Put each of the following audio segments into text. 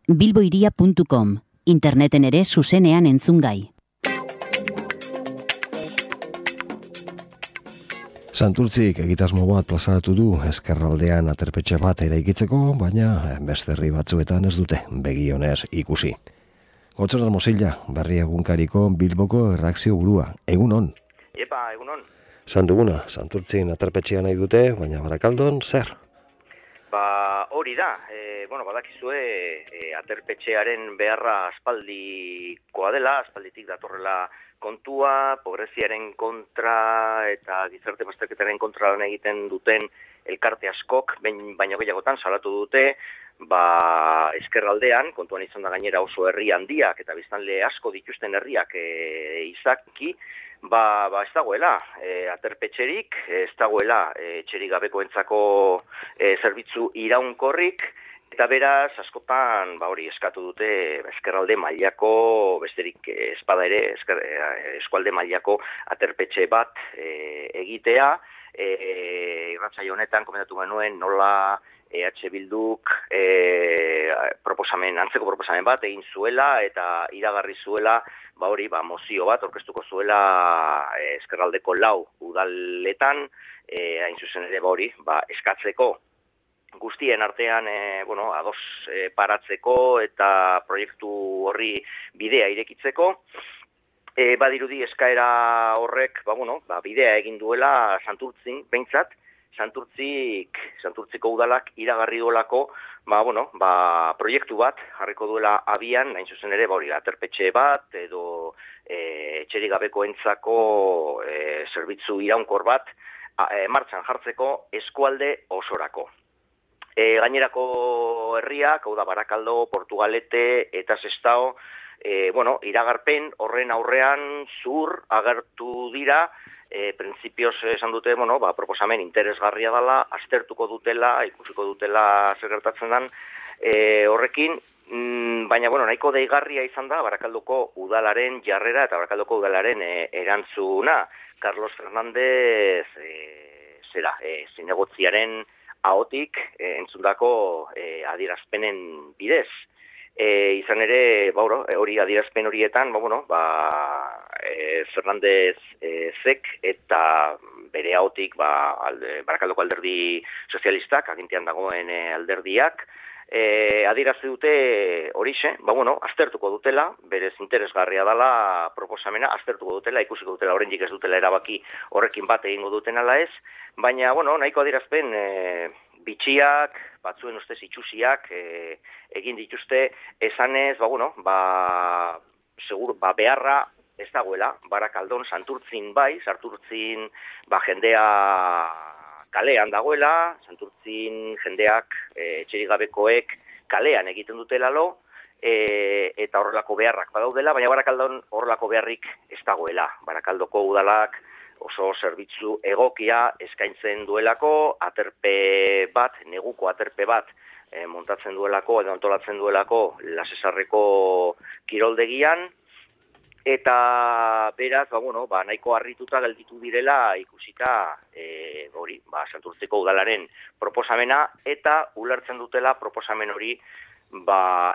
bilboiria.com, interneten ere zuzenean entzungai. Santurtzik egitasmo bat plazaratu du Ezkerraldean aterpetxe bat eraikitzeko, baina beste herri batzuetan ez dute begi onez ikusi. Gotzoran Mosilla, Berri Egunkariko Bilboko erreakzio burua. Egunon. Epa, egunon. Sanduguna, Santurtzin aterpetxea nahi dute, baina Barakaldon zer? Hori da, badakizue aterpetxearen beharra aspaldikoa dela, aspalditik datorrela kontua, pobreziaren kontra eta gizarte bazterketaren kontra lan egiten duten elkarte askok, baino gehiagotan salatu dute, Ezkerraldean, kontuan izan da gainera oso herri handiak eta biztanle asko dituzten herriak izaki, ez dagoela aterpetxerik, ez dagoela etxerik gabekoentzako zerbitzu iraunkorrik, eta beraz, askotan, eskatu dute Ezkerralde mailako, besterik espada ere, eskualde mailako aterpetxe bat egitea. Irratsaio honetan komentatu genuen nola EH Bilduk antzeko proposamen bat egin zuela eta iragarri zuela, mozio bat aurkeztuko zuela Ezkerraldeko 4 udaletan, hain zuzen ere eskatzeko guztien artean ados paratzeko eta proiektu horri bidea irekitzeko. Badirudi eskaera horrek bidea egin duela Santurtzin, behintzat, Santurtziko udalak iragarri duelako proiektu bat jarriko duela abian, hain zuzen ere aterpetxe bat edo etxerik gabekoentzako zerbitzu iraunkor bat martxan jartzeko eskualde osorako. Gainerako herriak, hau da Barakaldo, Portugalete eta Sestao, iragarpen horren aurrean zur agertu dira, printzipioz esan dute, proposamen interesgarria dela, aztertuko dutela, ikusiko dutela zer gertatzen den horrekin, baina nahiko deigarria izan da Barakaldoko udalaren jarrera eta Barakaldoko udalaren erantzuna. Carlos Fernández zinegotziaren ahotik entzundako adierazpenen bidez. Izan ere, hori adierazpen horietan, Fernández zek eta bere ahotik Barakaldoko alderdi sozialistak, agintean dagoen alderdiak, adierazte dute horixe, aztertuko dutela, berez interesgarria dela proposamena, aztertuko dutela, ikusiko dutela, oraindik ez dutela erabaki horrekin bat egingo duten ala ez, baina, nahiko adierazpen bitxiak, batzuen ustez itxusiak egin dituzte, esanez, beharra ez dagoela, Barakaldon, Santurtzin Santurtzin jendea kalean dagoela, Santurtzin jendeak etxerik gabekoek kalean egiten dutela eta horrelako beharrak badaudela, baina Barakaldon horrelako beharrik ez dagoela. Barakaldoko udalak oso zerbitzu egokia eskaintzen duelako, neguko aterpe bat montatzen duelako edo antolatzen duelako Lasesarreko kiroldegian, eta beraz, nahiko harrituta gelditu direla ikusita Santurtziko udalaren proposamena, eta ulertzen dutela proposamen hori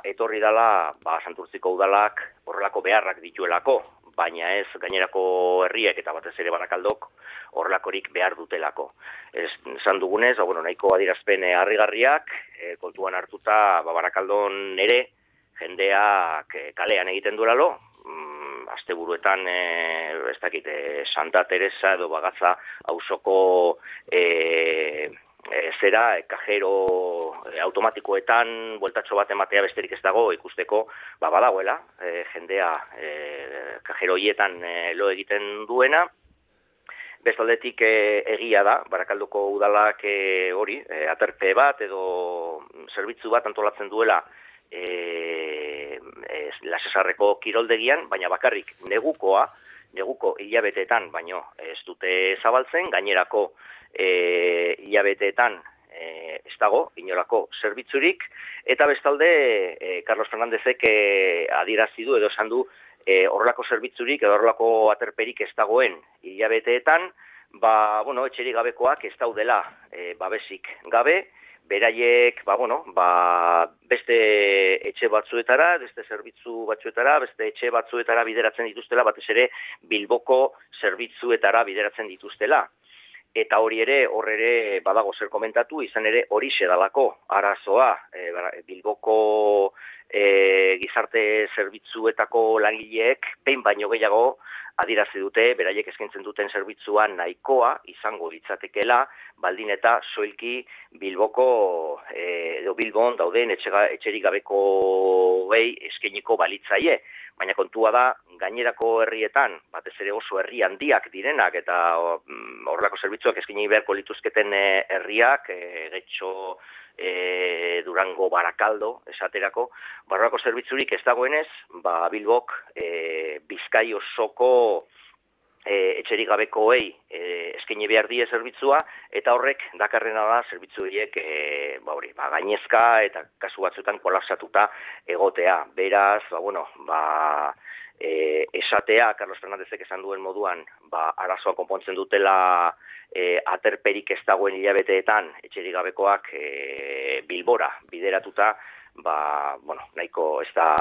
etorri dela Santurtziko udalak horrelako beharrak dituelako, baina ez gainerako herriek eta batez ere Barakaldok horrelakorik behar dutelako. Esan dugunez, nahiko adierazpen harrigarriak, kontuan hartuta Barakaldon ere jendeak kalean egiten duelalo, asteburuetan ez dakit Santa Teresa edo Bagatza auzoko kajero automatikoetan bueltatxo bat ematea besterik ez dago ikusteko badagoela jendea kajero hietan lo egiten duena. Bestaldetik egia da, Barakaldoko udalak aterpe bat edo zerbitzu bat antolatzen duela Lasesarreko kiroldegian, baina bakarrik neguko hilabeteetan, baino ez dute zabaltzen, gainerako hilabeteetan ez dago inolako zerbitzurik, eta bestalde Carlos Fernándezek adierazi du edo esan du horrelako zerbitzurik edo horrelako aterperik ez dagoen hilabeteetan, etxerik gabekoak ez daudela babesik gabe, beraiek, beste etxe batzuetara, beste zerbitzu batzuetara, beste etxe batzuetara bideratzen dituztela, batez ere Bilboko zerbitzuetara bideratzen dituztela. Eta hori ere, badago zer komentatu, izan ere horixe dalako arazoa, Bilboko gizarte zerbitzuetako langileek behin baino gehiago adirazi dute, beraiek eskaintzen duten zerbitzua nahikoa izango litzatekeela, baldin eta soilki Bilboko edo Bilbon dauden etxerik gabeko eskainiko balitzaie. Baina kontua da, gainerako herrietan, batez ere oso herri handiak direnak eta horrelako zerbitzuak eskaini beharko lituzketen herriak, Getxo, Durango, Barakaldo, esaterako, horrelako zerbitzurik ez dagoenez, Bilbok Bizkai osoko etxerik gabekoei eskaini behar die zerbitzua, eta horrek dakarrena da zerbitzu horiek gainezka eta kasu batzuetan kolapsatuta egotea. Beraz, esatea, Carlos Fernandezek esan duen moduan, arazoa konpontzen dutela aterperik ez dagoen hilabeteetan etxerik gabekoak Bilbora bideratuta, nahiko ez da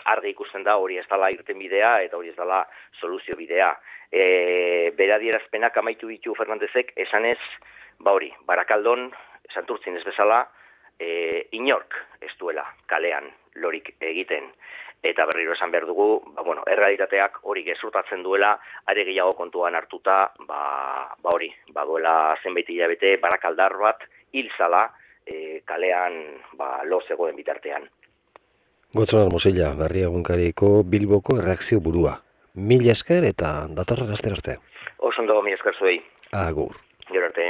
argi ikusten da hori ez dela irten bidea eta hori ez dela soluzio bidea. Beradierazpenak amaitu ditu Fernandezek esanez, Barakaldon, Santurtzin ez bezala, inork ez duela kalean lorik egiten. Eta berriro esan behar dugu, errealitateak hori gezurtatzen duela, are gehiago kontuan hartuta, baduela zenbait hilabete barakaldar bat hil zala kalean lo zegoen bitartean. Gotzonar Mosilla, Berria egunkariko Bilboko erreakzio burua. Mila esker eta datorren astera arte. Oso ondo, mila esker zuei. Agur. Gero arte.